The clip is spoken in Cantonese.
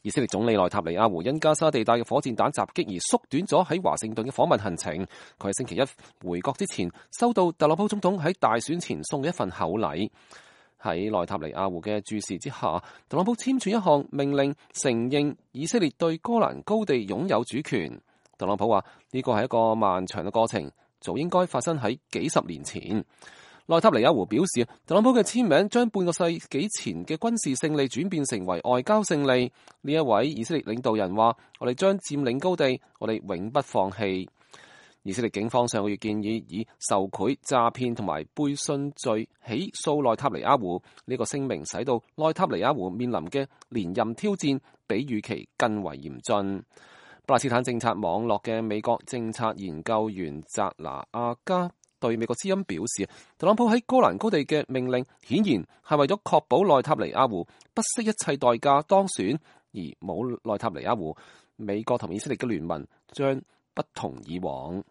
以色列總理內塔尼亞胡因加沙地帶嘅火箭彈襲擊而縮短咗喺華盛頓嘅訪問行程。佢喺星期一回國之前，收到特朗普總統喺大選前送嘅一份厚禮。喺內塔尼亞胡嘅注視之下，特朗普簽署一項命令，承認以色列對哥蘭高地擁有主權。特朗普話呢個係一個漫長嘅過程，早應該發生喺幾十年前。內塔尼亞胡表示，特朗普嘅簽名將半個世紀前嘅軍事勝利轉變成為外交勝利。呢一位以色列領導人話：我哋將佔領高地，我哋永不放棄。以色列警方上個月建議以受賄、詐騙同埋背信罪起訴內塔尼亞胡。呢個聲明使到內塔尼亞胡面臨嘅連任挑戰比預期更為嚴峻。巴勒斯坦政策網絡嘅美國政策研究員扎拿亞加對美國之音表示，特朗普喺哥蘭高地嘅命令顯然係為咗確保內塔尼亞胡不惜一切代價當選，而冇內塔尼亞胡，美國同以色列嘅聯盟將不同以往。